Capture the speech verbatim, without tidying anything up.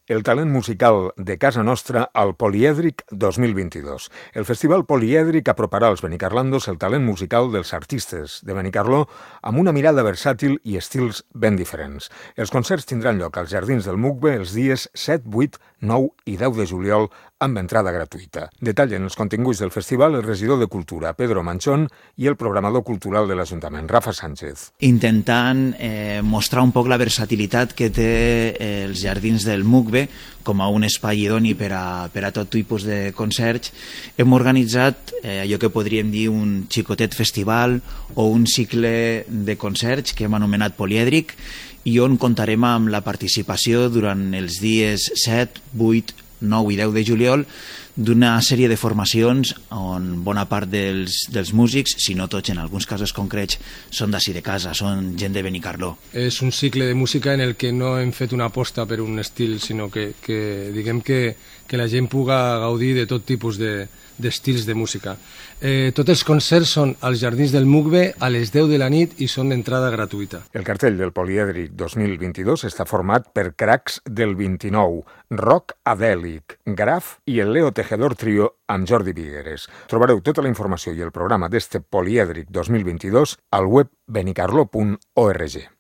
el talent musical de casa nostra al Polièdric dos mil vint-i-dos. El Festival Polièdric aproparà als benicarlandos el talent musical dels artistes de Benicarló amb una mirada versàtil i estils ben diferents. Els concerts tindran lloc als Jardins del Mugbe els dies set, vuit, nou i deu de juliol amb entrada gratuïta. Detallen els continguts del festival el regidor de Cultura, Pedro Manchón, i el programador cultural de l'Ajuntament, Rafa Sánchez. Intentant eh, mostrar un poc la versatilitat que té eh, els Jardins del Mugbe com a un espai idoni per a, per a tot tipus de concerts, hem organitzat eh, allò que podríem dir un xicotet festival o un cicle de concerts que hem anomenat Polièdric i on comptarem amb la participació durant els dies set, vuit, nou i deu de juliol d'una sèrie de formacions on bona part dels, dels músics, si no tots en alguns casos concrets, són d'ací de casa, són gent de Benicarló. És un cicle de música en el que no hem fet una aposta per un estil, sinó que, que diguem que, que la gent puga gaudir de tot tipus de, d'estils de música. Eh, tots els concerts són als Jardins del Mugbe a les deu de la nit i són d'entrada gratuïta. El cartell del Polièdric dos mil vint-i-dos està format per cracs del vint-i-nou, rock adèlic, Graf i el Leo Tejedor Trio amb Jordi Vigueres. Trobareu tota la informació i el programa d'este Polièdric dos mil vint-i-dos al web benicarló punt org.